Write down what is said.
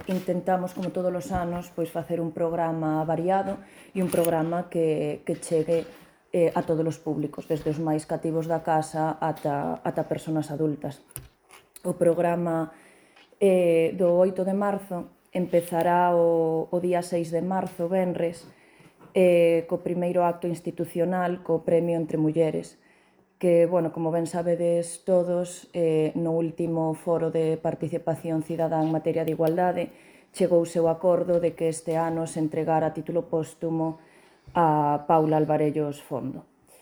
Intentamos, como todos os anos, facer un programa variado e un programa que chegue a todos os públicos, desde os máis cativos da casa ata persoas adultas. O programa do 8 de marzo empezará o día 6 de marzo, venres, co primeiro acto institucional, co Premio Entre Mulleres, que, como ben sabedes todos, no último foro de participación cidadá en materia de igualdade chegouse o acordo de que este ano se entregara a título póstumo a Paula Alvarellos Fondo.